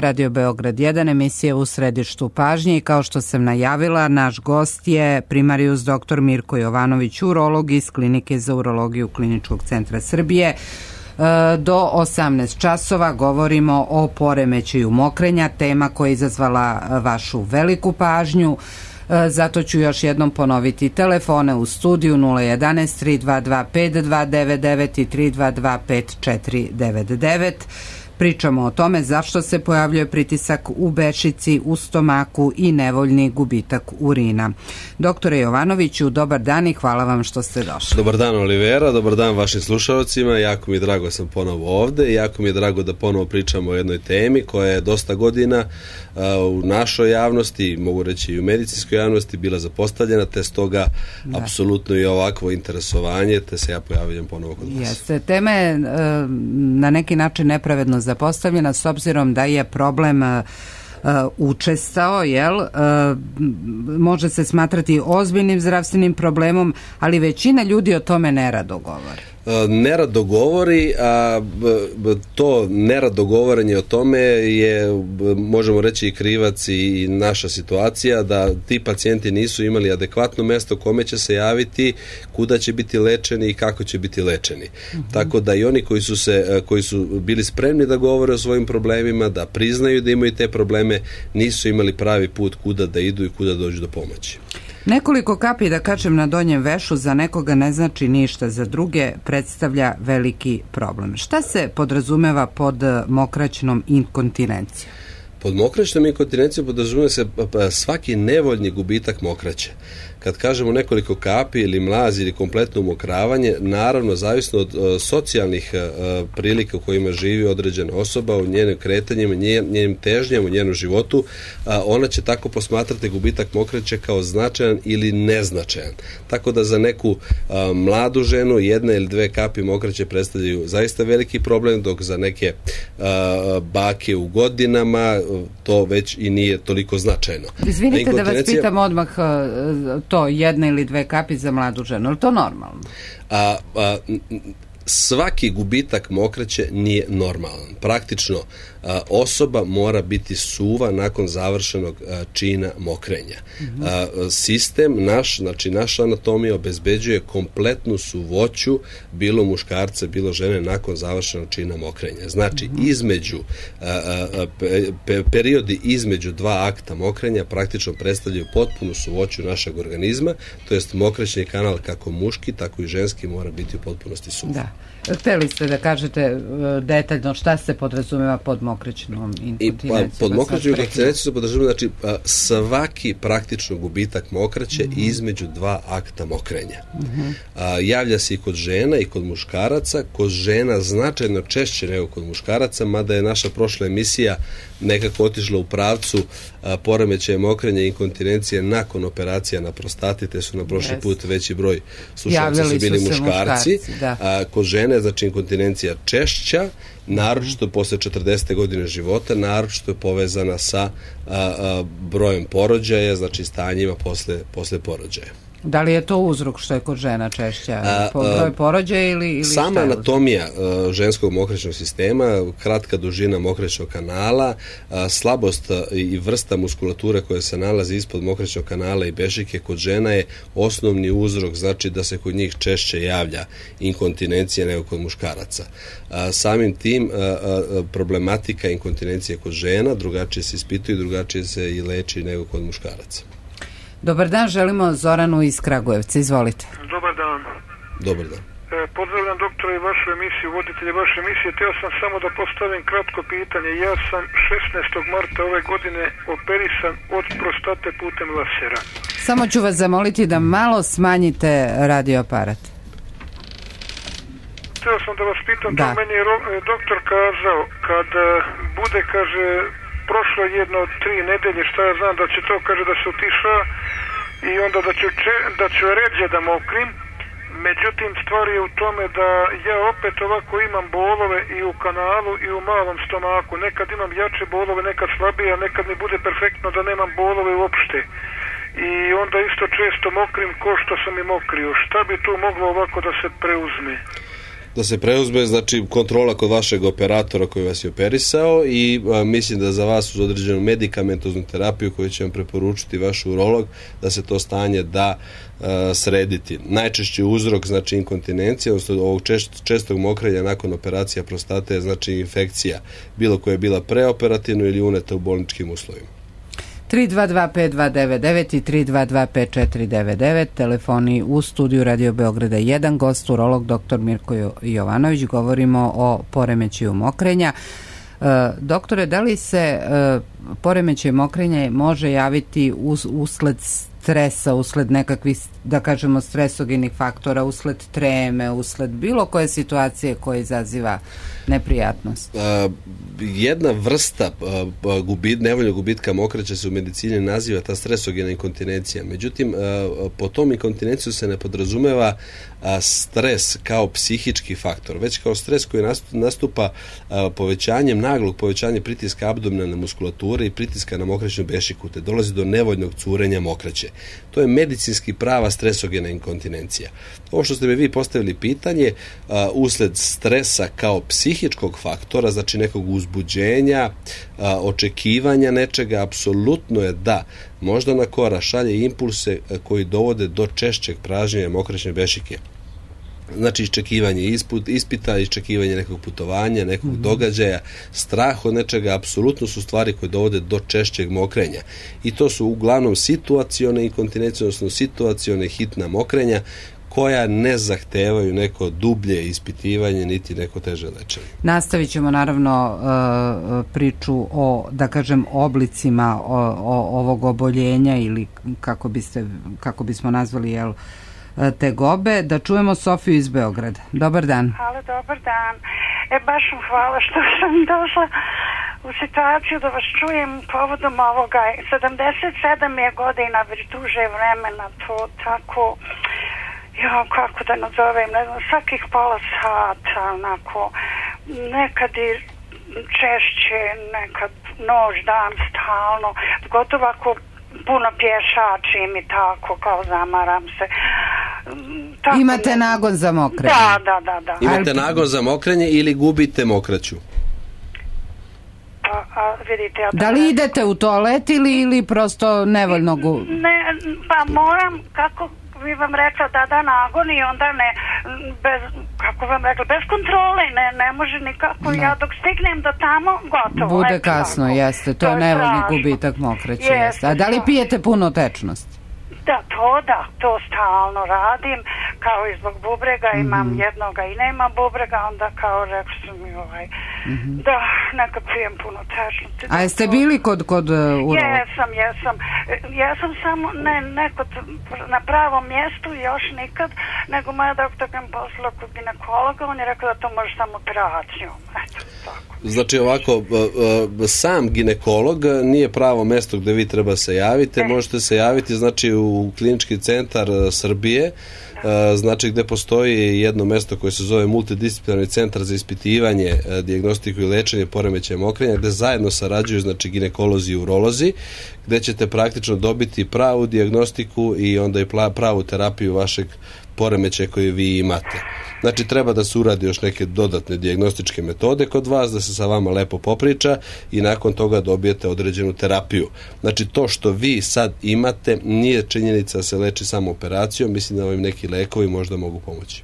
Radio Beograd 1, emisija U središtu pažnje i kao što sam najavila, naš gost je primarius dr. Mirko Jovanović, urolog iz Klinike za urologiju Kliničkog centra Srbije. Do 18 časova govorimo o poremećaju mokrenja, tema koja je izazvala vašu veliku pažnju. Zato ću još jednom ponoviti telefone u studiju 011 322 5299 i 322 5499. Pričamo o tome zašto se pojavljuje pritisak u bešici, u stomaku i nevoljni gubitak urina. Doktore Jovanoviću, dobar dan i hvala vam što ste došli. Dobar dan, Olivera, dobar dan vašim slušalcima. Jako mi je drago da sam ponovo ovde i jako mi je drago da ponovo pričamo o jednoj temi koja je dosta godina u našoj javnosti, mogu reći i u medicinskoj javnosti, bila zapostavljena, te stoga apsolutno i ovakvo interesovanje, te se ja pojavljam ponovo kod vas. Jeste, tema je na neki način nepravedno zapostavljena s obzirom da je problem učestao, može se smatrati ozbiljnim zdravstvenim problemom, ali većina ljudi o tome nerado govori. Nerado govori, a to nerado govorenje o tome je, možemo reći, i krivac i naša situacija da ti pacijenti nisu imali adekvatno mesto kome će se javiti, kuda će biti lečeni i kako će biti lečeni. Tako da i oni koji su bili spremni da govore o svojim problemima, da priznaju da imaju te probleme, nisu imali pravi put kuda da idu i kuda dođu do pomoći. Nekoliko kapi, da kažem, na donjem vešu za nekoga ne znači ništa, za druge predstavlja veliki problem. Šta se podrazumeva pod mokraćnom inkontinencijom? Pod mokraćnom inkontinencijom podrazumeva se svaki nevoljni gubitak mokraće. Kad kažemo nekoliko kapi ili mlaz ili kompletno umokravanje, naravno zavisno od socijalnih prilika u kojima živi određena osoba, u njenim kretanjima, njenim težnjama, u njenom životu, ona će tako posmatrati gubitak mokraće kao značajan ili neznačajan. Tako da za neku mladu ženu jedna ili dve kapi mokraće predstavljaju zaista veliki problem, dok za neke bake u godinama to već i nije toliko značajno. Izvinite da vas pitam odmah, to jedna ili dve kapi za mladu ženu, je to normalno? Svaki gubitak mokraće nije normalan. Praktično osoba mora biti suva nakon završenog čina mokrenja. Sistem naš, znači naša anatomija obezbeđuje kompletnu suvoću bilo muškarca, bilo žene nakon završenog čina mokrenja. Znači između periodi između dva akta mokrenja praktično predstavljaju potpunu suvoću našeg organizma, to jest mokraćni kanal kako muški, tako i ženski mora biti u potpunosti suv. Da. Hteli ste da kažete detaljno šta se podrazumeva pod mokraćnom inkontinencijom? Pod mokraćnom inkontinencijom se podrazumeva, znači, svaki praktično gubitak mokraće između dva akta mokrenja. Javlja se i kod žena i kod muškaraca. Kod žena značajno češće nego kod muškaraca, mada je naša prošla emisija nekako otišla u pravcu poremećaja mokrenja i inkontinencije nakon operacija na prostati, te su na prošli put veći broj slušalaca su bili muškarci. Kod žene, znači, inkontinencija češća, naročito posle 40. godine života, naročito je povezana sa brojem porođaja, znači stanjima posle porođaja. Da li je to uzrok što je kod žena češća? Broj porođaja ili sama anatomija ženskog mokraćnog sistema, kratka dužina mokraćnog kanala, slabost i vrsta muskulature koja se nalazi ispod mokraćnog kanala i bešike kod žena je osnovni uzrok, znači da se kod njih češće javlja inkontinencija nego kod muškaraca. Samim tim problematika inkontinencije kod žena drugačije se ispituje, drugačije se i leči nego kod muškaraca. Dobar dan, želimo Zoranu iz Kragujevca, izvolite. Dobar dan. Dobar dan. Pozdravljam doktora i vašu emisiju, voditelje vaše emisije. Teo sam samo da postavim kratko pitanje. Ja sam 16. marta ove godine operisan od prostate putem lasera. Samo ću vas zamoliti da malo smanjite radioaparat. Teo sam da vas pitam, to meni je doktor kazao, kad bude, kaže, prošlo jedno 3 nedelje, šta ja znam, da će to, kaže, da se utiša i onda da ću ređe da mokrim. Međutim, stvar je u tome da ja opet ovako imam bolove i u kanalu i u malom stomaku. Nekad imam jače bolove, nekad slabije, a nekad mi bude perfektno da nemam bolove uopšte. I onda isto često mokrim ko što sam i mokrio. Šta bi tu moglo ovako da se preuzme? Da se preuzme, znači kontrola kod vašeg operatora koji vas je operisao i mislim da za vas uz određenu medikamentoznu terapiju koju će vam preporučiti vaš urolog, da se to stanje da srediti. Najčešći uzrok, znači inkontinencija, odnosno ovog čestog mokrenja nakon operacija prostate je znači infekcija, bilo koja je bila preoperativno ili uneta u bolničkim uslovima. 322-5299 i 322-5499, telefoni u studiju Radio Beograda 1, gost urolog dr. Mirko Jovanović. Govorimo o poremećaju mokrenja. Doktore, da li se poremećaj mokrenja može javiti usled stresa, usled nekakvih, da kažemo, stresogenih faktora, usled treme, usled bilo koje situacije koja izaziva neprijatnost? Jedna vrsta nevoljnog gubitka mokraće se u medicini naziva ta stresogena inkontinencija. Međutim, po tom inkontinenciju se ne podrazumeva stres kao psihički faktor, već kao stres koji nastupa naglog povećanja pritiska abdominalne muskulature i pritiska na mokraćnu bešiku, te dolazi do nevoljnog curenja mokraće. To je medicinski prava stresogena inkontinencija. Ovo što ste mi vi postavili pitanje, usled stresa kao psihičkog faktora, znači nekog uzbuđenja, očekivanja nečega, apsolutno je da moždana kora šalje impulse koji dovode do češćeg pražnjenja mokraćne bešike. Znači iščekivanje ispita, iščekivanje nekog putovanja, nekog događaja, strah od nečega, apsolutno su stvari koje dovode do češćeg mokrenja. I to su uglavnom situacione inkontinencije, odnosno situacione hitna mokrenja, koja ne zahtevaju neko dublje ispitivanje niti neko teže lečenje. Nastavit ćemo naravno priču o, da kažem, oblicima ovog oboljenja ili kako bismo nazvali, tegobe. Da čujemo Sofiju iz Beograda. Dobar dan. Halo, dobar dan. Baš vam hvala što sam došla u situaciju da vas čujem povodom ovoga. 77 je godina, već duže vremena, to tako, kako da nazovem, ne znam, svakih pola sata, onako, nekad i češće, nekad noć, dan, stalno, gotovo ako puno pješačim i tako, kao zamaram se. Tako, imate nagon za mokrenje? Da. Imate nagon za mokrenje ili gubite mokraću? Vidite, da li idete u toalet ili prosto nevoljno Ne, pa moram, kako bi vam rekla, da nagon i onda bez kontrole, ne može nikako, ja dok stignem do tamo, gotovo. Bude kasno, jeste, to je nevoljni gubitak mokraće, jeste. A da li pijete puno tečnost? To stalno radim, kao i zbog bubrega, imam jednoga i nema bubrega, onda kao rekli su mi da, neka pijem puno tečnosti. A jeste bili kod urologa? Jesam samo, ne na pravom mjestu, još nikad, nego moja doktorka mi poslala kod ginekologa, on je rekao da to može samo operacijom, eto, tako. Znači ovako, sam ginekolog nije pravo mjesto gdje vi treba se javiti, možete se javiti znači u Klinički centar Srbije, znači gdje postoji jedno mjesto koje se zove multidisciplinarni centar za ispitivanje, dijagnostiku i lečenje poremećaja mokrenja, gdje zajedno sarađuju znači ginekolozi i urolozi, gdje ćete praktično dobiti pravu dijagnostiku i onda i pravu terapiju vašeg poremećaja koje vi imate. Znači treba da se uradi još neke dodatne dijagnostičke metode kod vas, da se sa vama lepo popriča i nakon toga dobijete određenu terapiju. Znači to što vi sad imate nije činjenica da se leči samo operacijom, mislim da vam neki lekovi možda mogu pomoći.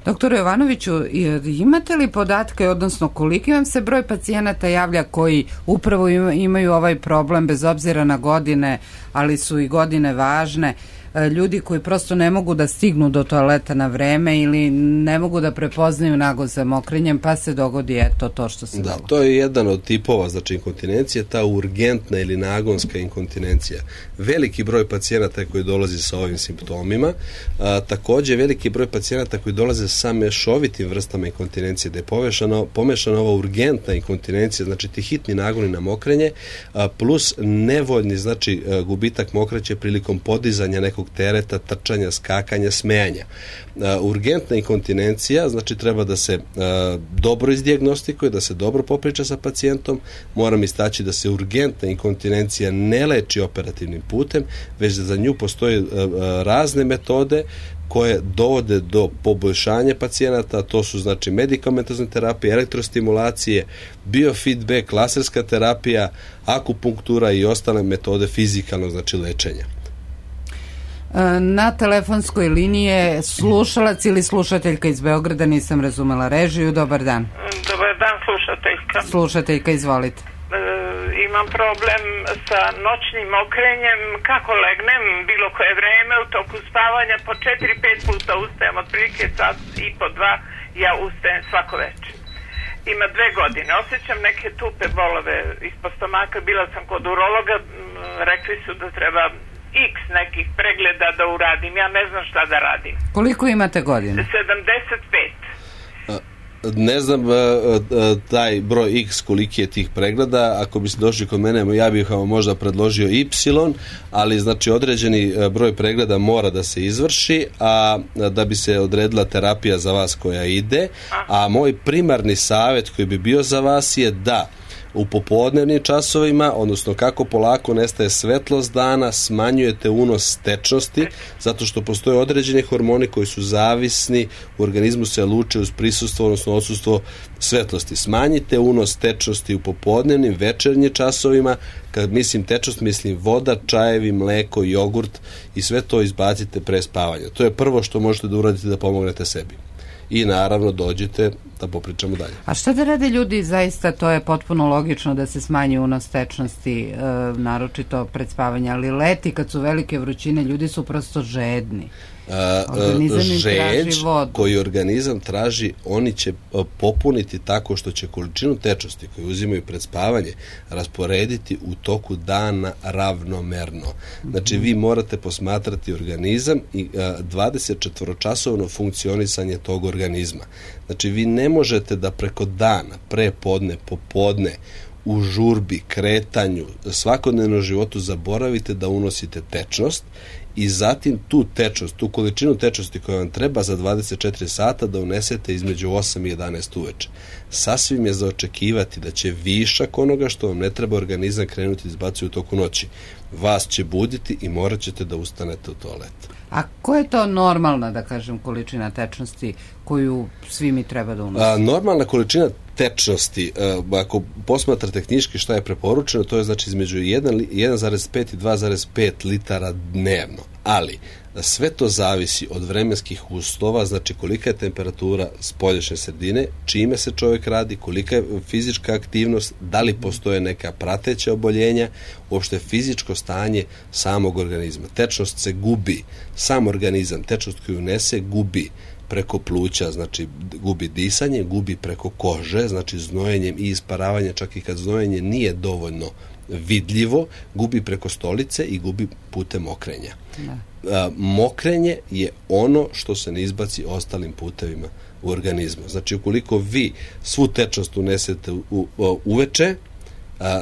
Doktore Jovanoviću, imate li podatke, odnosno koliki vam se broj pacijenata javlja koji upravo imaju ovaj problem bez obzira na godine, ali su i godine važne, ljudi koji prosto ne mogu da stignu do toaleta na vreme ili ne mogu da prepoznaju nagon za mokrenjem, pa se dogodi to što se dogodi. To je jedan od tipova znači inkontinencije, ta urgentna ili nagonska inkontinencija. Veliki broj pacijenata koji dolazi sa ovim simptomima, također veliki broj pacijenata koji dolaze sa mešovitim vrstama inkontinencije, da je pomešana ova urgentna inkontinencija, znači ti hitni nagoni na mokrenje, plus nevoljni znači gubitak mokraće prilikom podizanja nekog visokog tereta, trčanja, skakanja, smejanja. Urgentna inkontinencija, znači treba da se dobro izdijagnostikuje, da se dobro popriča sa pacijentom. Moram istaći da se urgentna inkontinencija ne leči operativnim putem, već da za nju postoje razne metode koje dovode do poboljšanja pacijenata. To su znači medikamentozne terapije, elektrostimulacije, biofeedback, laserska terapija, akupunktura i ostale metode fizikalnog znači lečenja. Na telefonskoj liniji je slušalac ili slušateljka iz Beograda, nisam razumela režiju. Dobar dan. Dobar dan, slušateljka. Slušateljka, izvolite. Imam problem sa noćnim mokrenjem. Kako legnem bilo koje vreme u toku spavanja, po 4-5 puta ustajem, otprilike sat i po 2 ja ustajem svako večer. Ima 2 godine. Osjećam neke tupe bolove ispod stomaka. Bila sam kod urologa, rekli su da treba x nekih pregleda da uradim. Ja ne znam šta da radim. Koliko imate godina? 75. Ne znam taj broj x koliki je tih pregleda. Ako biste došli kod mene, ja bih vam možda predložio y, ali znači određeni broj pregleda mora da se izvrši, a da bi se odredila terapija za vas koja ide. A moj primarni savjet koji bi bio za vas je da u popodnevnim časovima, odnosno kako polako nestaje svetlost dana, smanjujete unos tečnosti, zato što postoje određeni hormoni koji su zavisni, u organizmu se luče uz prisustvo, odnosno odsustvo svetlosti. Smanjite unos tečnosti u popodnevnim, večernjim časovima. Kad mislim tečnost, mislim voda, čajevi, mleko, jogurt i sve to izbacite pre spavanja. To je prvo što možete da uradite da pomognete sebi. I naravno dođite da popričamo dalje. A šta da rade ljudi, zaista to je potpuno logično da se smanji unos tečnosti, naročito pred spavanje, ali leti kad su velike vrućine, ljudi su prosto žedni. Žeđ koji organizam traži, oni će popuniti tako što će količinu tečnosti koju uzimaju pred spavanje rasporediti u toku dana ravnomerno. Znači vi morate posmatrati organizam i 24-časovno funkcionisanje tog organizma. Znači vi ne možete da preko dana, prepodne, popodne, u žurbi, kretanju, svakodnevnom životu zaboravite da unosite tečnost i zatim tu tečnost, tu količinu tečnosti koja vam treba za 24 sata da unesete između 8 i 11 uveče. Sasvim je za očekivati da će višak onoga što vam ne treba organizam krenuti da izbacuje u toku noći. Vas će buditi i morat ćete da ustanete u toalet. A koja je to normalna, da kažem, količina tečnosti koju svi mi treba da unosimo? Normalna količina tečnosti, ako posmatrate knjiški šta je preporučeno, to je znači između 1,5 i 2,5 litara dnevno. Ali sve to zavisi od vremenskih uslova, znači kolika je temperatura spoljašnje sredine, čime se čovjek radi, kolika je fizička aktivnost, da li postoje neka prateća oboljenja, uopšte fizičko stanje samog organizma. Tečnost se gubi, sam organizam, tečnost koju unese gubi preko pluća, znači gubi disanje, gubi preko kože, znači znojenjem i isparavanjem, čak i kad znojenje nije dovoljno vidljivo, gubi preko stolice i gubi putem mokrenja. Mokrenje je ono što se ne izbaci ostalim putevima u organizmu. Znači ukoliko vi svu tečnost unesete uveče,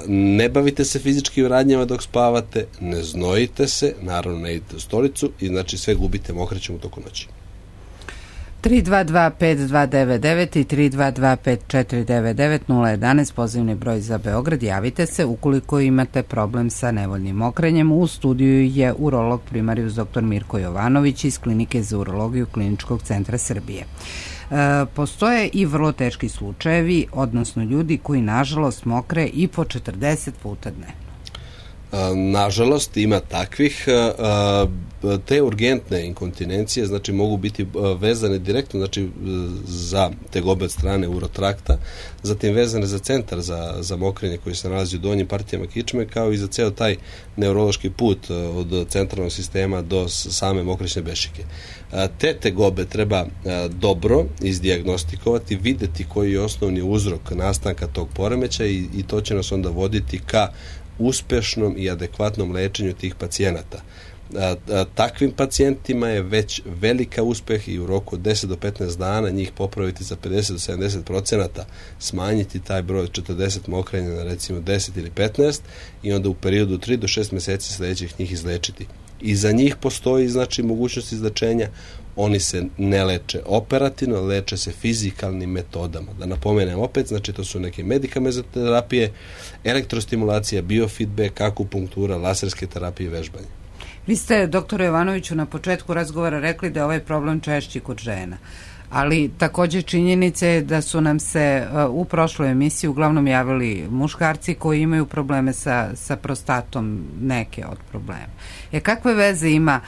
ne bavite se fizičkim radnjama dok spavate, ne znojite se, naravno ne idete u stolicu i znači sve gubite mokrećem u toku noći. 322-5299 i 322-5499 011 pozivni broj za Beograd. Javite se ukoliko imate problem sa nevoljnim mokrenjem. U studiju je urolog primarijus dr. Mirko Jovanović iz Klinike za urologiju Kliničkog centra Srbije. Postoje i vrlo teški slučajevi, odnosno ljudi koji nažalost mokre i po 40 puta dnevno. Nažalost, ima takvih. Te urgentne inkontinencije znači mogu biti vezane direktno znači za tegobe od strane urotrakta, zatim vezane za centar za mokrenje koji se nalazi u donjim partijama kičme, kao i za ceo taj neurološki put od centralnog sistema do same mokrećne bešike. Te tegobe treba dobro izdijagnostikovati, videti koji je osnovni uzrok nastanka tog poremećaja i to će nas onda voditi ka uspešnom i adekvatnom lečenju tih pacijenata. Takvim pacijentima je već velika uspeh i u roku od 10 do 15 dana njih popraviti za 50 do 70%, smanjiti taj broj od 40 mokrenja na recimo 10 ili 15 i onda u periodu 3 do 6 meseci sledećih njih izlečiti. i za njih postoji znači mogućnost izlečenja. Oni se ne leče operativno, leče se fizikalnim metodama. Da napomenem opet, znači to su neke medikamentoterapije, elektrostimulacija, biofeedback, akupunktura, laserske terapije i vežbanje. Vi ste, doktore Jovanoviću, na početku razgovora rekli da je ovaj problem češći kod žena. Ali takođe činjenica je da su nam se u prošloj emisiji uglavnom javili muškarci koji imaju probleme sa prostatom, neke od problema. Kakve veze ima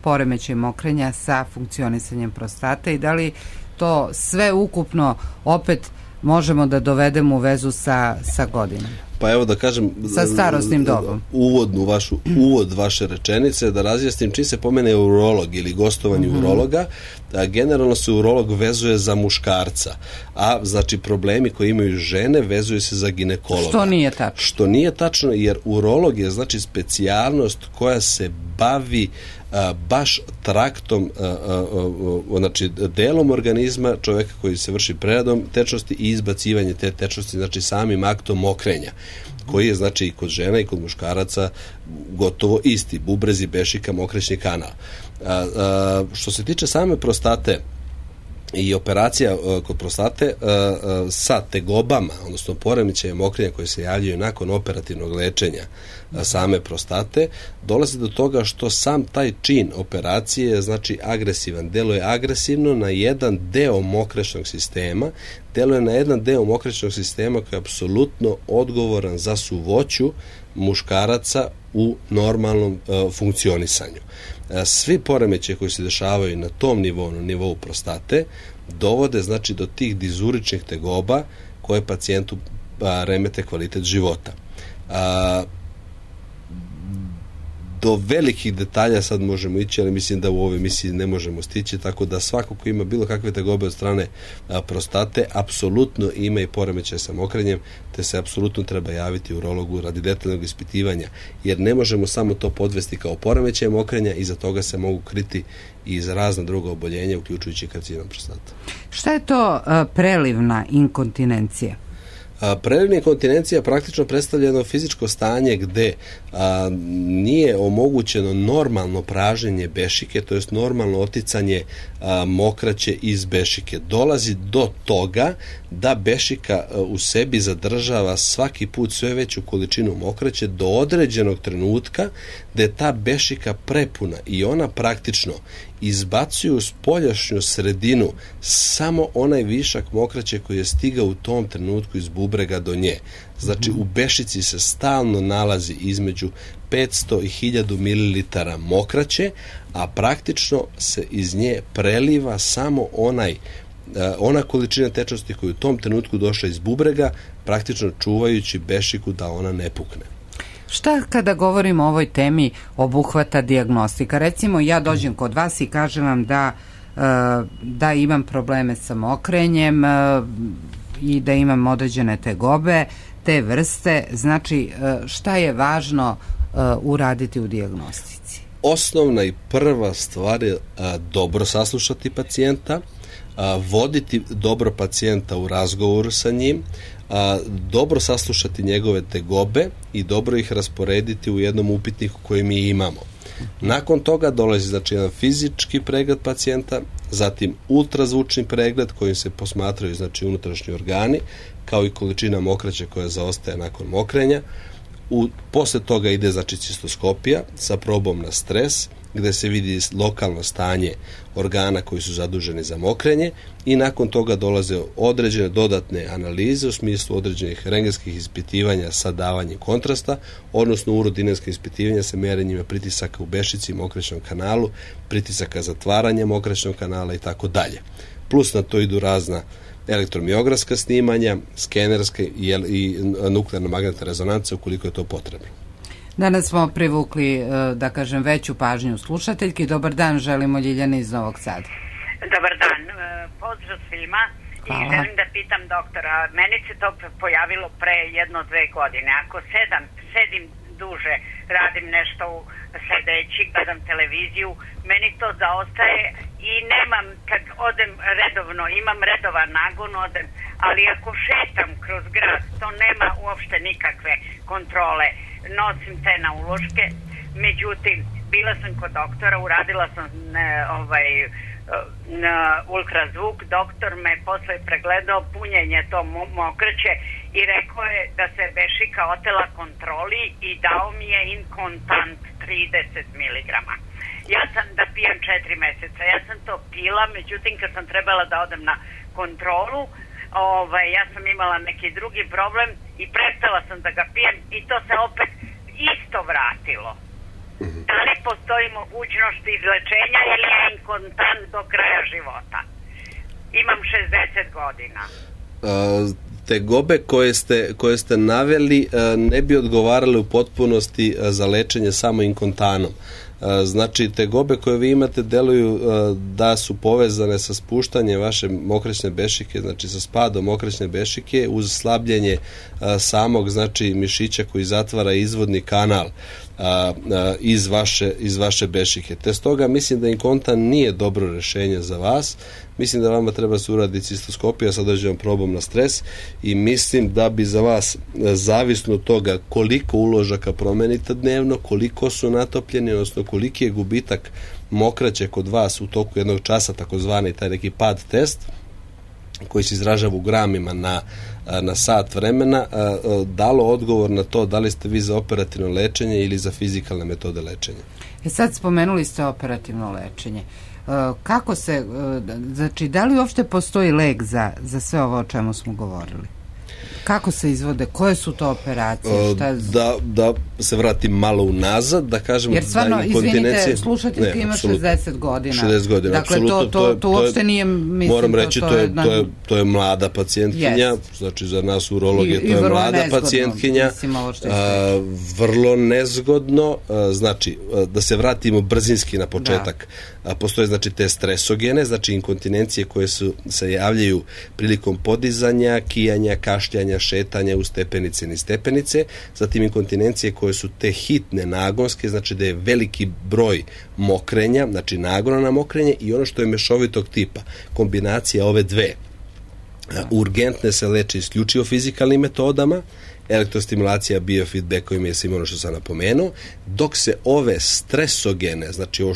poremećaj mokrenja sa funkcionisanjem prostate i da li to sve ukupno opet možemo da dovedemo u vezu sa godinom? Pa evo da kažem, sa starosnim dobom. Uvod vaše rečenice, da razjasnim čim se pomene urolog ili gostovanje urologa, generalno se urolog vezuje za muškarca, a znači problemi koji imaju žene vezuju se za ginekologa. Što nije tačno, jer urolog je znači specijalnost koja se bavi baš traktom, znači delom organizma čoveka koji se vrši preradom tečnosti i izbacivanje te tečnosti, znači samim aktom mokrenja, koji je znači i kod žena i kod muškaraca gotovo isti, bubrezi, bešika, mokrećni kanal. Što se tiče same prostate i operacija kod prostate sa tegobama, odnosno poremećajem mokrenja koje se javljaju nakon operativnog lečenja same prostate, dolazi do toga što sam taj čin operacije je znači agresivan, deluje agresivno na jedan deo mokraćnog sistema, deluje na jedan deo mokraćnog sistema koji je apsolutno odgovoran za suvoću muškaraca u normalnom funkcionisanju. Svi poremećaji koji se dešavaju na tom nivou, na nivou prostate, dovode znači do tih dizuričnih tegoba koje pacijentu remete kvalitet života. Do velikih detalja sad možemo ići, ali mislim da u ovoj emisiji ne možemo stići, tako da svako ko ima bilo kakve tegobe od strane prostate, apsolutno ima i poremećaj sa mokrenjem, te se apsolutno treba javiti urologu radi detaljnog ispitivanja, jer ne možemo samo to podvesti kao poremećaj mokrenja, iza toga se mogu kriti i za razna druga oboljenja, uključujući karcinom prostate. Šta je to prelivna inkontinencija? Prelivna inkontinencija praktično predstavlja jedno fizičko stanje gde nije omogućeno normalno praženje bešike, to jest normalno oticanje mokraće iz bešike. Dolazi do toga da bešika u sebi zadržava svaki put sve veću količinu mokraće do određenog trenutka gde je ta bešika prepuna i ona praktično izbacuju u spoljašnju sredinu samo onaj višak mokraće koji je stigao u tom trenutku iz bubrega do nje. Znači u bešici se stalno nalazi između 500 i 1000 ml mokraće, a praktično se iz nje preliva samo ona količina tečnosti koja je u tom trenutku došla iz bubrega, praktično čuvajući bešiku da ona ne pukne. Šta kada govorimo o ovoj temi obuhvata dijagnostika? Recimo ja dođem kod vas i kažem vam da imam probleme sa mokrenjem i da imam određene tegobe, te vrste, znači šta je važno uraditi u dijagnostici? Osnovna i prva stvar je dobro saslušati pacijenta, voditi dobro pacijenta u razgovoru sa njim, dobro saslušati njegove tegobe i dobro ih rasporediti u jednom upitniku koji mi imamo. Nakon toga dolazi znači jedan fizički pregled pacijenta, zatim ultrazvučni pregled kojim se posmatraju znači unutrašnji organi, kao i količina mokraće koja zaostaje nakon mokrenja. Posle toga ide znači cistoskopija sa probom na stres, gde se vidi lokalno stanje organa koji su zaduženi za mokrenje i nakon toga dolaze određene dodatne analize u smislu određenih rentgenskih ispitivanja sa davanjem kontrasta, odnosno urodinenska ispitivanja sa merenjima pritisaka u bešici i mokraćnom kanalu, pritisaka zatvaranja mokraćnog kanala i tako dalje. Plus na to idu razna elektromiografska snimanja, skenerska i nuklearna magnetna rezonanca ukoliko je to potrebno. Danas smo privukli, da kažem, veću pažnju slušateljki. Dobar dan, želimo Ljiljana iz Novog Sada. Dobar dan, pozdrav svima. I želim da pitam doktora, meni se to pojavilo pre 1-2 godine. Ako sedim duže, radim nešto sedeći, gledam televiziju, meni to zaostaje i nemam, kad odem redovno, imam redovan nagon, odem, ali ako šetam kroz grad, to nema uopšte nikakve kontrole. Nosim te na uloške, međutim, bila sam kod doktora, uradila sam na ultrazvuk, doktor me posle pregledao punjenje to mokraće i rekao je da se bešika otela kontroli i dao mi je Incontant 30 mg. Ja sam da pijem 4 meseca, ja sam to pila, međutim kad sam trebala da odem na kontrolu, ja sam imala neki drugi problem i prestala sam da ga pijem i to se opet isto vratilo. Da li postoji mogućnost izlečenja ili je Incontant do kraja života? Imam 60 godina. Tegobe koje ste naveli ne bi odgovarale u potpunosti za lečenje samo Incontanom. Znači, tegobe koje vi imate deluju da su povezane sa spuštanjem vaše mokraćne bešike, znači sa spadom mokraćne bešike uz slabljenje samog, znači, mišića koji zatvara izvodni kanal iz vaše bešike. Te stoga mislim da Incontant nije dobro rešenje za vas. Mislim da vama treba se uraditi cistoskopija sa određenom probom na stres i mislim da bi za vas, zavisno od toga koliko uložaka promenite dnevno, koliko su natopljeni, odnosno koliki je gubitak mokraće kod vas u toku jednog časa, takozvani taj neki pad test, koji se izražava u gramima na sat vremena, dalo odgovor na to da li ste vi za operativno lečenje ili za fizikalne metode lečenja. Sad spomenuli ste operativno lečenje. Kako se, znači, da li uopšte postoji lek za sve ovo o čemu smo govorili? Kako se izvode? Koje su to operacije? Da se vratim malo unazad, da kažemo... Jer stvarno, izvinite, slušateljka ima 60 godina. 60 godina, dakle, to uopšte nije, mislim, moram reći, to je mlada pacijentkinja, znači za nas urologe to je mlada pacijentkinja, vrlo nezgodno, znači, da se vratimo brzinski na početak. Postoje, znači, te stresogene, znači inkontinencije koje se javljaju prilikom podizanja, kijanja, kašljanja, šetanja u stepenice i niz stepenice, zatim inkontinencije koje su te hitne, nagonske, znači da je veliki broj mokrenja, znači nagona na mokrenje, i ono što je mešovitog tipa, kombinacija ove dve. Urgentne se leče isključivo fizikalnim metodama, elektrostimulacija, biofeedbackovima je svima ono što sam napomenuo, dok se ove stresogene, znači ovo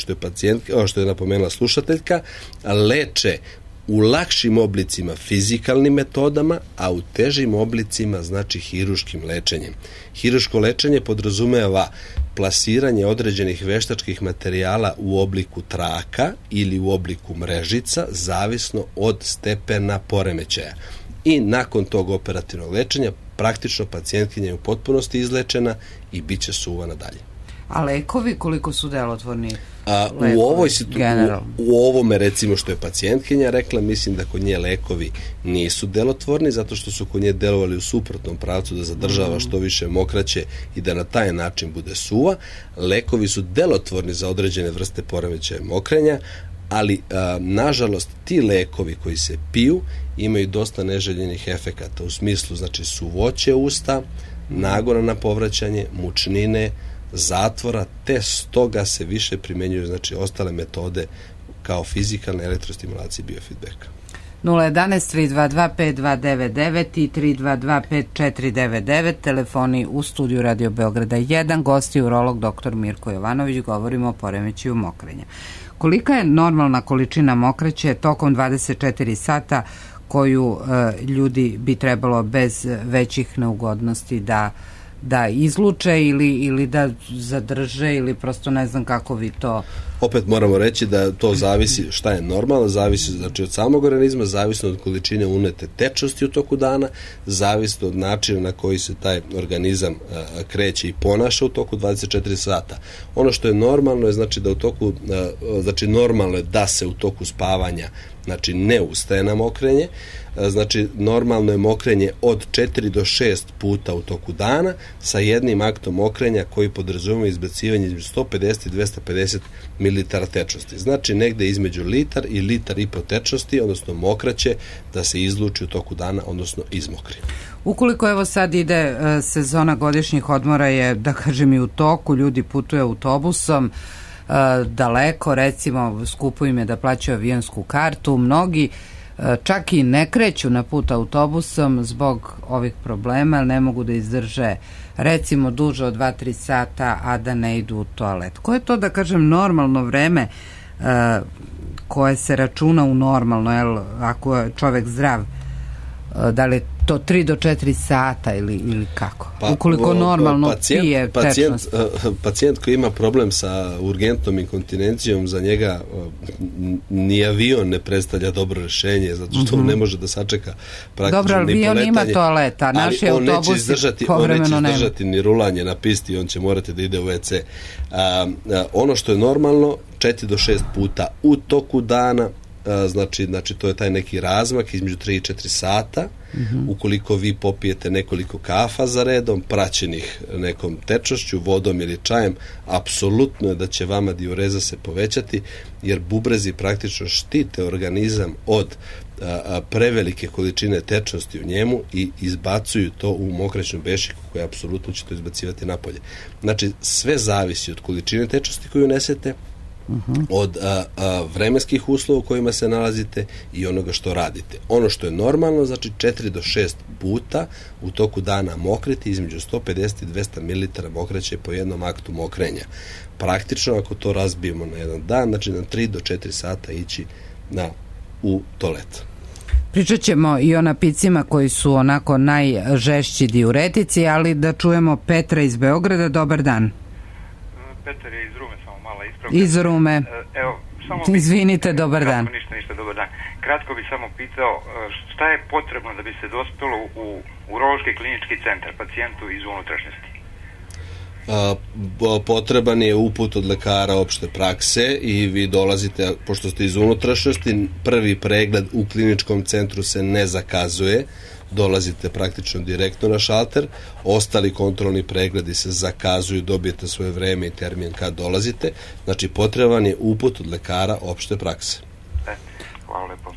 što je napomenula slušateljka, leče u lakšim oblicima fizikalnim metodama, a u težim oblicima, znači, hiruškim lečenjem. Hiruško lečenje podrazumeva plasiranje određenih veštačkih materijala u obliku traka ili u obliku mrežica, zavisno od stepena poremećaja. I nakon tog operativnog lečenja praktično pacijentkinja je u potpunosti izlečena i bit će suvana dalje. A lekovi koliko su delotvorni? U ovome, recimo, što je pacijentkinja rekla, mislim da kod nje lekovi nisu delotvorni, zato što su kod nje delovali u suprotnom pravcu, da zadržava što više mokraće i da na taj način bude suva. Lekovi su delotvorni za određene vrste poremećaja mokrenja, ali nažalost ti lekovi koji se piju imaju dosta neželjenih efekata, u smislu, znači, suvoće usta, nagona na povraćanje, mučnine, zatvora, te stoga se više primenjuju, znači, ostale metode kao fizikalne, elektrostimulacije, biofeedbacka. 011-322-5299 i 322-5499, telefoni u studiju Radio Beograda 1, gosti urolog dr. Mirko Jovanović, govorimo o poremećaju mokrenja. Kolika je normalna količina mokraće tokom 24 sata koju ljudi bi trebalo bez većih neugodnosti da izluče ili da zadrže, ili prosto ne znam kako vi to... Opet moramo reći da to zavisi šta je normalno, zavisi, znači, od samog organizma, zavisno od količine unete tečnosti u toku dana, zavisno od načina na koji se taj organizam kreće i ponaša u toku 24 sata. Ono što je normalno je, znači, da u toku, znači, normalno je da se u toku spavanja, znači, ne ustaje na mokrenje, znači, normalno je mokrenje od 4 do 6 puta u toku dana sa jednim aktom mokrenja koji podrazumeva izbacivanje između 150 i 250 mililitara tečnosti. Znači, negde između litar i litar i po tečnosti, odnosno mokraće, da se izluči u toku dana, odnosno izmokri. Ukoliko evo sad ide sezona godišnjih odmora je, da kažem, i u toku, ljudi putuju autobusom daleko, recimo skupo im je da plaćaju avionsku kartu, mnogi čak i ne kreću na put autobusom zbog ovih problema, jer ne mogu da izdrže recimo duže od 2-3 sata, a da ne idu u toalet. Koje je to, da kažem, normalno vreme koje se računa u normalno, jel, ako je čovek zdrav, da li je to 3 do 4 sata ili kako? Ukoliko normalno pije tečnost. Pacijent koji ima problem sa urgentnom inkontinencijom, za njega ni avion ne predstavlja dobro rješenje, zato što on ne može da sačeka praktično dobro, ni poletanje. Dobro, avion ima toaleta, naši autobusi povremeno nema. On neće izdržati ni rulanje na pisti, on će morati da ide u WC. Ono što je normalno, 4 do 6 puta u toku dana, znači to je taj neki razmak između 3 i 4 sata. Ukoliko vi popijete nekoliko kafa za redom, praćenih nekom tečnošću, vodom ili čajem, apsolutno je da će vama diureza se povećati, jer bubrezi praktično štite organizam od prevelike količine tečnosti u njemu i izbacuju to u mokraćnu bešiku, koja apsolutno će to izbacivati napolje. Znači, sve zavisi od količine tečnosti koju unesete, od vremenskih uslova u kojima se nalazite i onoga što radite. Ono što je normalno, znači 4 do 6 puta u toku dana mokriti, između 150 i 200 ml mokraće po jednom aktu mokrenja. Praktično, ako to razbijemo na jedan dan, znači na 3 do 4 sata ići u toalet. Pričat ćemo i o napicima koji su onako najžešći diuretici, ali da čujemo Petra iz Beograda. Dobar dan. Petar je iz Rume, samo mala ispravka. Iz Rume. Izvinite, dobar dan. Ništa, dobar dan. Kratko bih samo pitao šta je potrebno da bi se dospelo u urološki klinički centar pacijentu iz unutrašnjosti? Potreban je uput od lekara opšte prakse i vi dolazite, pošto ste iz unutrašnjosti, prvi pregled u kliničkom centru se ne zakazuje, dolazite praktično direktno na šalter, ostali kontrolni pregledi se zakazuju, dobijete svoje vreme i termin kad dolazite, znači potreban je uput od lekara opšte prakse. Hvala lepo.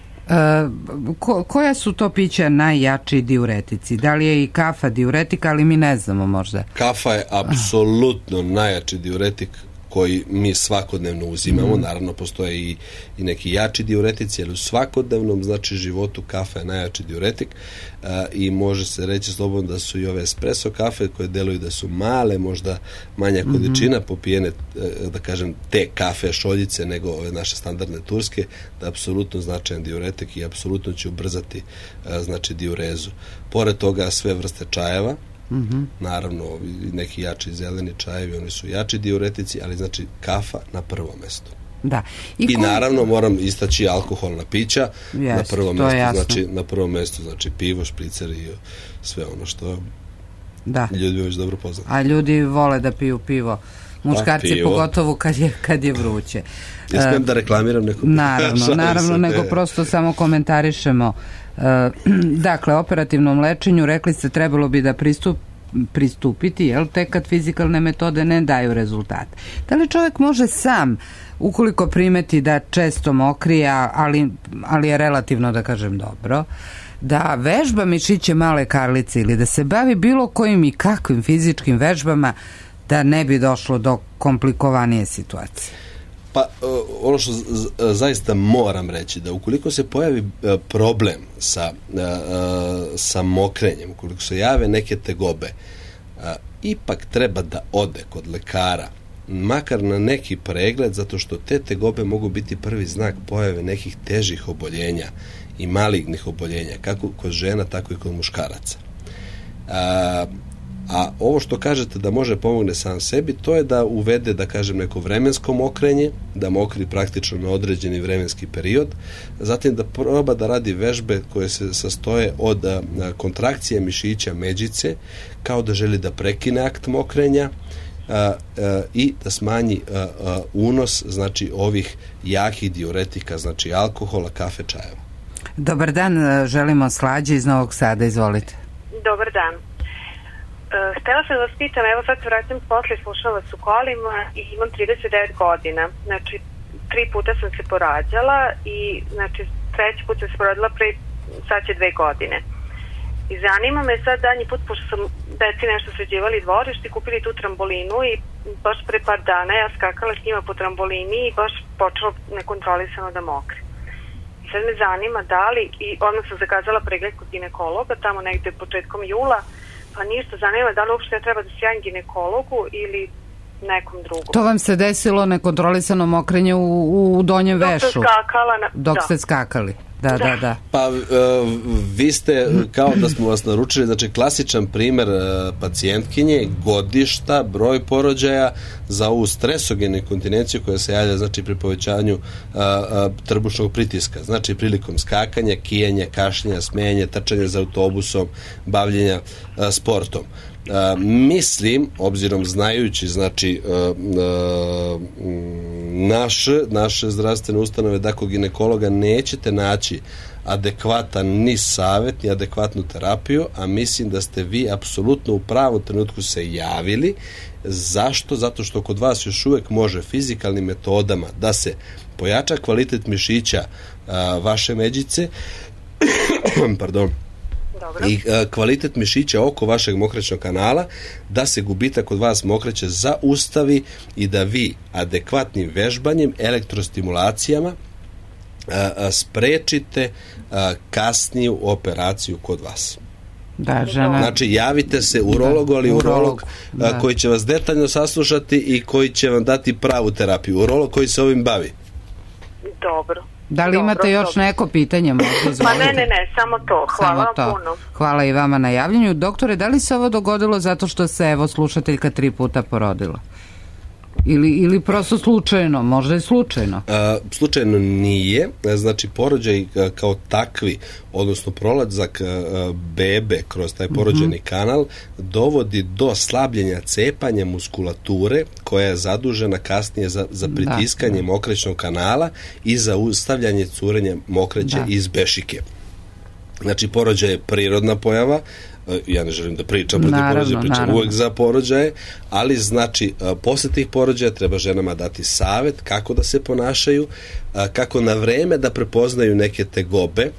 Koja su to pića najjači diuretici? Da li je i kafa diuretika, ali mi ne znamo možda. Kafa je apsolutno najjači diuretik koji mi svakodnevno uzimamo. Naravno, postoje i neki jači diuretici, ali u svakodnevnom, znači, životu kafa je najjači diuretik i može se reći slobodno da su i ove espresso kafe koje deluju da su male, možda manja količina popijene, da kažem, te kafe šoljice nego ove naše standardne turske, da je apsolutno značajan diuretik i apsolutno će ubrzati znači diurezu. Pored toga sve vrste čajeva, naravno neki jači zeleni čajevi, oni su jači diuretici, ali znači kafa na prvom mestu. Da. I naravno moram istaći alkoholna pića na prvom mestu, na prvom mestu znači pivo, špricer i sve ono što ljudi već dobro poznaju. A ljudi vole da piju pivo. Muškarci pogotovo kad je vruće. Ja smijem da reklamiram neko? Naravno, nego prosto samo komentarišemo. Dakle, operativnom lečenju rekli ste trebalo bi da pristupiti, jel, tek kad fizikalne metode ne daju rezultat. Da li čovjek može sam, ukoliko primeti da često mokrija, ali je relativno, da kažem, dobro, da vežba mišiće male karlice ili da se bavi bilo kojim i kakvim fizičkim vežbama da ne bi došlo do komplikovanije situacije? Pa ono što zaista moram reći, da ukoliko se pojavi problem sa mokrenjem, ukoliko se jave neke tegobe, ipak treba da ode kod lekara, makar na neki pregled, zato što te tegobe mogu biti prvi znak pojave nekih težih oboljenja i malignih oboljenja, kako kod žena, tako i kod muškaraca. A ovo što kažete da može pomogne sam sebi, to je da uvede, da kažem, neko vremensko mokrenje, da mokri praktično na određeni vremenski period, zatim da proba da radi vežbe koje se sastoje od kontrakcije mišića međice, kao da želi da prekine akt mokrenja i da smanji unos, znači, ovih jakih diuretika, znači alkohola, kafe, čajeva. Dobar dan, želimo Slađe iz Novog Sada, izvolite. Dobar dan. Htela sam da vas pitam, evo sad se vraćam posle, slušam vas u kolima i imam 39 godina. Znači, 3 puta sam se porađala i znači 3. put sam se porađala sad će 2 godine. I zanima me sad danji put, pošto sam deci nešto sređivali dvorište i kupili tu trambolinu i baš pre par dana ja skakala s njima po trambolini i baš počelo nekontrolisano da mokre. I sad me zanima da li, i odmah sam zakazala pregled kod ginekologa tamo negde početkom jula, pa ništa, zanima da li uopšte treba da se javim ginekologu ili nekom drugom. To vam se desilo nekontrolisano mokrenje u donjem vešu? Dok ste skakali. Da. Pa vi ste, kao da smo vas naručili, znači klasičan primer pacijentkinje, godišta, broj porođaja za ovu stresogenu inkontinenciju koja se javlja, znači pri povećanju trbušnog pritiska, znači prilikom skakanja, kijanja, kašljenja, smenja, trčanja za autobusom, bavljenja sportom. Mislim, obzirom znajući, znači naše zdravstvene ustanove, da kod ginekologa nećete naći adekvatan ni savjet, ni adekvatnu terapiju, a mislim da ste vi apsolutno u pravom trenutku se javili. Zašto? Zato što kod vas još uvijek može fizikalnim metodama da se pojača kvalitet mišića vaše međice, pardon, i kvalitet mišića oko vašeg mokraćnog kanala, da se gubitak kod vas mokraće zaustavi i da vi adekvatnim vežbanjem, elektrostimulacijama sprečite kasniju operaciju kod vas. Da, žena. Znači, javite se urologu, ali urolog koji će vas detaljno saslušati i koji će vam dati pravu terapiju. Urolog koji se ovim bavi. Dobro. Da li imate još neko pitanje? Pa ne, samo to. Hvala vam puno. Hvala i vama na javljanju. Doktore, da li se ovo dogodilo zato što se, evo, slušateljka 3 puta porodila? Ili prosto slučajno, možda i slučajno? Slučajno nije, znači porođaj kao takvi, odnosno prolazak bebe kroz taj porođajni kanal dovodi do slabljenja cepanja muskulature koja je zadužena kasnije za pritiskanje mokraćnog kanala i za ustavljanje curenja mokraće iz bešike. Znači porođaj je prirodna pojava, ja ne želim da pričam protiv porođaja, pričam uvek za porođaje, ali znači posle tih porođaja treba ženama dati savjet kako da se ponašaju, kako na vreme da prepoznaju neke tegobe.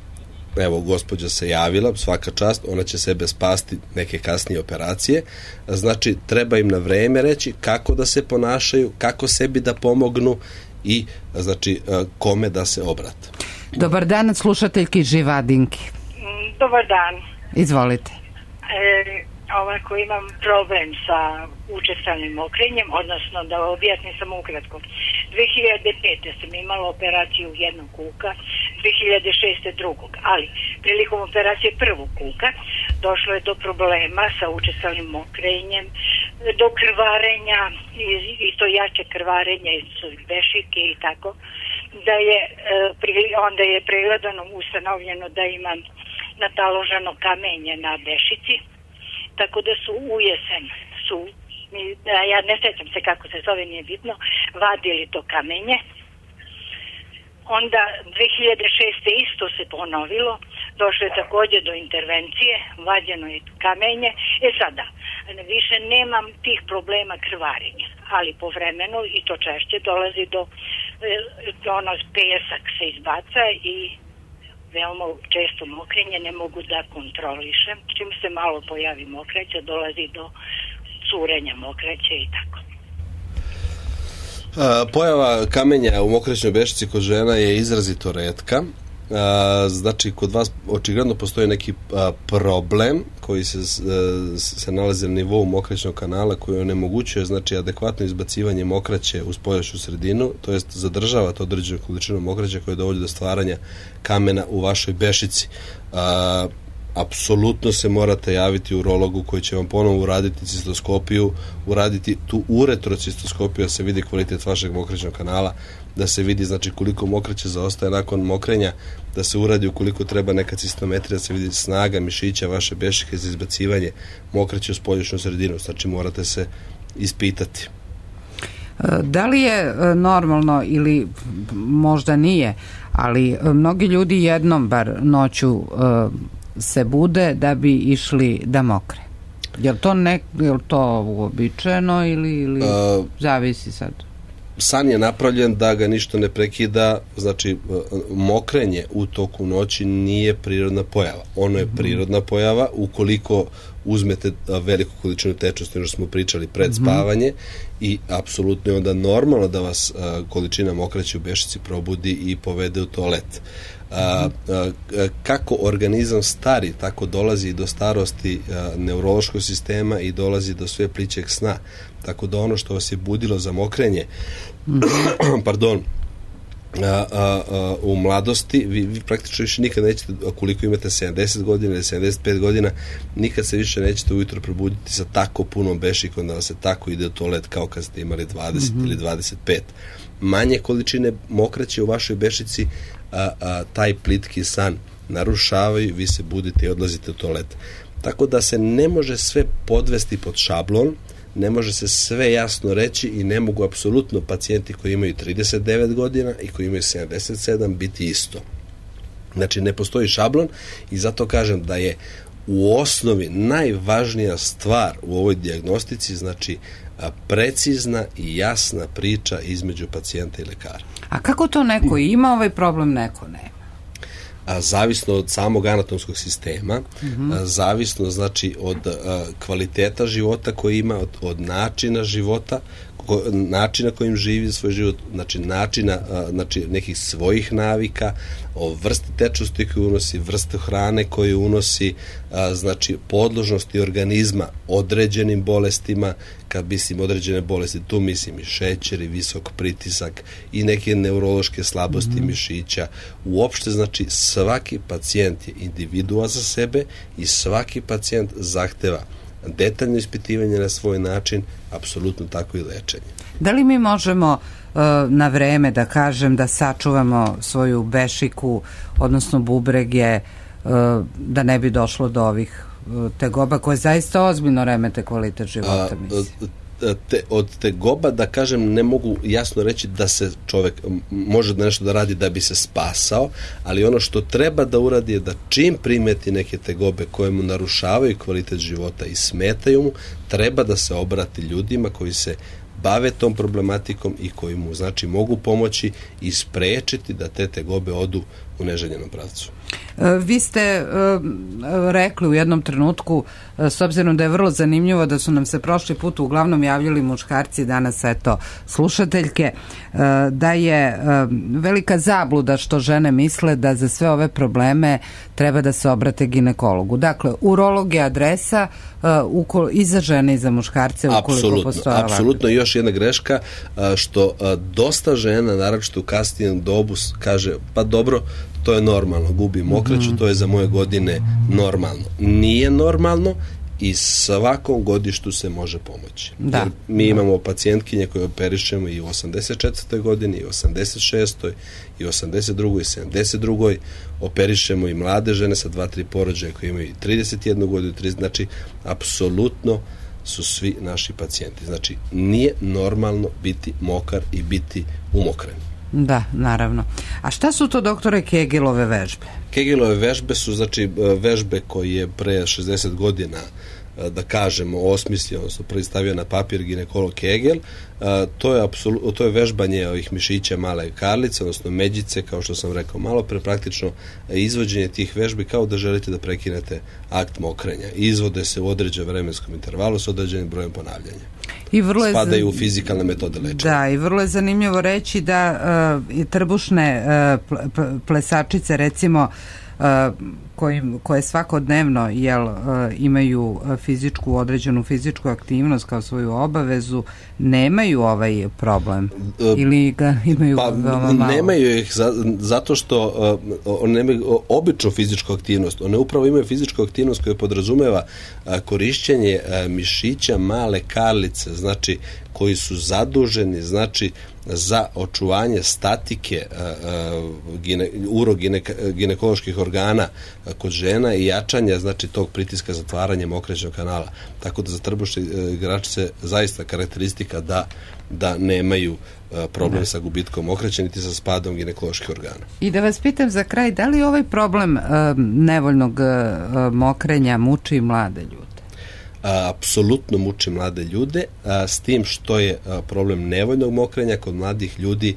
Evo, gospođa se javila, svaka čast, ona će sebe spasti neke kasnije operacije, znači treba im na vreme reći kako da se ponašaju, kako sebi da pomognu i znači kome da se obrate. Dobar dan, slušateljki Živadinki. Dobar dan. Izvolite. Ovako, imam problem sa učestalim mokrenjem, odnosno da objasnim samo ukratko. 2005. sam imala operaciju jednog kuka, 2006. drugog, ali prilikom operacije prvog kuka došlo je do problema sa učestalim mokrenjem, do krvarenja, isto jače krvarenja iz bešike i tako, da je onda je pregledano, ustanovljeno da imam nataloženo kamenje na bešici, tako da su u jesen ja ne sjećam se kako se zove, nije bitno, vadili to kamenje. Onda 2006. isto se ponovilo, došlo je također do intervencije, vađeno je kamenje. Sada, više nemam tih problema krvarenja, ali povremeno i to češće dolazi do pesak se izbaca i veoma često mokrenje, ne mogu da kontrolišem. Čim se malo pojavi mokraća, dolazi do curenja mokraće i tako. Pojava kamenja u mokraćnoj bešici kod žena je izrazito retka. Znači, kod vas očigledno postoji neki problem koji se nalazi na nivou mokraćnog kanala, koji onemogućuje, znači, adekvatno izbacivanje mokraće u spoljašnju sredinu, to jest zadržava to određenu količinu mokraće koja dovodi do stvaranja kamena u vašoj bešici. Apsolutno se morate javiti urologu koji će vam ponovo uraditi cistoskopiju, uraditi tu uretrocistoskopiju da se vidi kvalitet vašeg mokraćnog kanala, da se vidi, znači, koliko mokraće zaostaje nakon mokrenja, da se uradi ukoliko treba neka cistometrija, da se vidi snaga mišića vaše bešike za izbacivanje mokraće u spoljašnju sredinu. Znači, morate se ispitati. Da li je normalno ili možda nije, ali mnogi ljudi jednom bar noću se bude da bi išli da mokre. Je li to uobičajeno ili zavisi sad? San je napravljen da ga ništa ne prekida, znači mokrenje u toku noći nije prirodna pojava. Ono je prirodna pojava ukoliko uzmete veliku količinu tečnosti, što smo pričali, pred spavanje, i apsolutno je onda normalno da vas količina mokraće u bešici probudi i povede u toalet. kako organizam stari, tako dolazi do starosti neurološkog sistema i dolazi do sve plićeg sna. Tako da ono što vas je budilo za mokrenje, pardon, u mladosti, vi praktično više nikad nećete, koliko imate 70 godina ili 75 godina, nikad se više nećete ujutro probuditi sa tako punom bešikom da vam se tako ide u toalet kao kad ste imali 20 ili 25. Manje količine mokraće u vašoj bešici taj plitki san narušavaju, vi se budite i odlazite u toalet. Tako da se ne može sve podvesti pod šablon, ne može se sve jasno reći i ne mogu apsolutno pacijenti koji imaju 39 godina i koji imaju 77 biti isto. Znači, ne postoji šablon i zato kažem da je u osnovi najvažnija stvar u ovoj dijagnostici, znači precizna i jasna priča između pacijenta i lekara. A kako to neko ima ovaj problem, neko nema? Zavisno od samog anatomskog sistema, zavisno znači od kvaliteta života koji ima, od načina života, načina kojim živi svoj život, znači načina, znači nekih svojih navika, o vrsti tečnosti koju unosi, vrste hrane koju unosi, znači podložnosti organizma određenim bolestima. Kad mislim određene bolesti, tu mislim i šećer i visok pritisak i neke neurološke slabosti mišića. Uopšte, znači, svaki pacijent je individua za sebe i svaki pacijent zahteva detaljno ispitivanje na svoj način, apsolutno tako i lečenje. Da li mi možemo na vreme, da kažem, da sačuvamo svoju bešiku, odnosno bubrege, da ne bi došlo do ovih tegoba koje zaista ozbiljno remete kvalitet života? Od tegoba, da kažem, ne mogu jasno reći da se čovek može nešto da radi da bi se spasao, ali ono što treba da uradi je da čim primeti neke tegobe koje mu narušavaju kvalitet života i smetaju mu, treba da se obrati ljudima koji se bave tom problematikom i koji mu, znači, mogu pomoći i sprečiti da te tegobe odu u neželjenom pravcu. Vi ste rekli u jednom trenutku, s obzirom da je vrlo zanimljivo da su nam se prošli put uglavnom javljali muškarci, danas eto slušateljke, da je velika zabluda što žene misle da za sve ove probleme treba da se obrate ginekologu. Dakle, urolog je adresa i za žene i za muškarce ukoliko postoje ovakve. Apsolutno, još jedna greška, što dosta žena, naročito u kasnijem dobu, kaže, pa dobro, to je normalno, gubim mokraću, to je za moje godine normalno. Nije normalno i svakom godištu se može pomoći. Da. Jer mi imamo pacijentkinje koje operišemo i u 84. godini, i u 86. i 82. i 72. Operišemo i mlade žene sa 2-3 porođaja koje imaju 31 godinu, 30, znači, apsolutno su svi naši pacijenti. Znači, nije normalno biti mokar i biti umokren. Da, naravno. A šta su to, doktore, Kegelove vežbe? Kegelove vežbe su, znači, vežbe koje je pre 60 godina, da kažemo, osmislio, odnosno prvi stavio na papir ginekolog Kegel. To je vežbanje ovih mišića male karlice, odnosno međice, kao što sam rekao malo pre, praktično izvođenje tih vežbi kao da želite da prekinete akt mokrenja. Izvode se u određenom vremenskom intervalu s određenim brojem ponavljanja. Spadaju u fizikalne metode lečenja. Da, i vrlo je zanimljivo reći da trbušne plesačice, recimo, koje svakodnevno imaju određenu fizičku aktivnost kao svoju obavezu, nemaju ovaj problem ili ga imaju veoma malo? Nemaju ih zato što one nemaju običnu fizičku aktivnost. One upravo imaju fizičku aktivnost koja podrazumeva korišćenje mišića male karlice, znači koji su zaduženi, znači, za očuvanje statike uroginekoloških organa kod žena i jačanja, znači, tog pritiska zatvaranja mokraćnog kanala. Tako da za trbušne igračice zaista karakteristika da nemaju problem sa gubitkom mokraće niti sa spadom ginekoloških organa. I da vas pitam za kraj, da li ovaj problem nevoljnog mokrenja muči mlade ljude? Apsolutno muči mlade ljude, s tim što je problem nevoljnog mokrenja kod mladih ljudi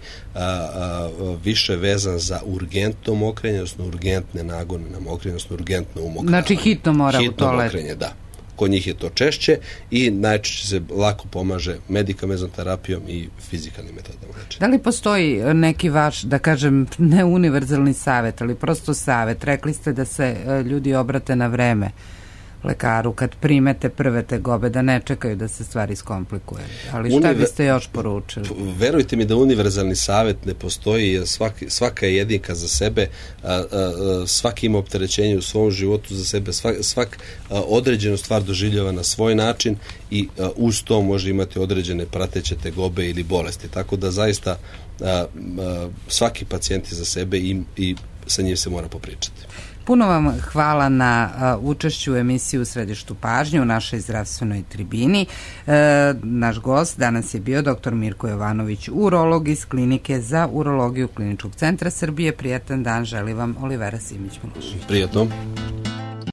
više vezan za urgentno mokrenje, odnosno urgentne nagone na mokrenje, odnosno urgentno umokravanje. Znači hitno mora u toalet. Hitno mokrenje, da. kod njih je to češće i najčešće se lako pomaže medikamenznom terapijom i fizikalnim metodama. Da li postoji neki vaš, da kažem, ne univerzalni savjet, ali prosto savjet? Rekli ste da se ljudi obrate na vreme lekaru kad primete prve tegobe, da ne čekaju da se stvari skomplikuju. Ali šta biste još poručili? Verujte mi da univerzalni savjet ne postoji, jer svaka je jedinka za sebe, svaki ima opterećenje u svom životu za sebe, svak određenu stvar doživljava na svoj način i uz to može imati određene prateće tegobe ili bolesti. Tako da zaista svaki pacijent je za sebe i sa njim se mora popričati. Puno vam hvala na učešću u emisiji U središtu pažnje u našoj zdravstvenoj tribini. Naš gost danas je bio dr. Mirko Jovanović, urolog iz Klinike za urologiju Kliničkog centra Srbije. Prijatan dan želi vam Olivera Simić-Milošević. Prijatno.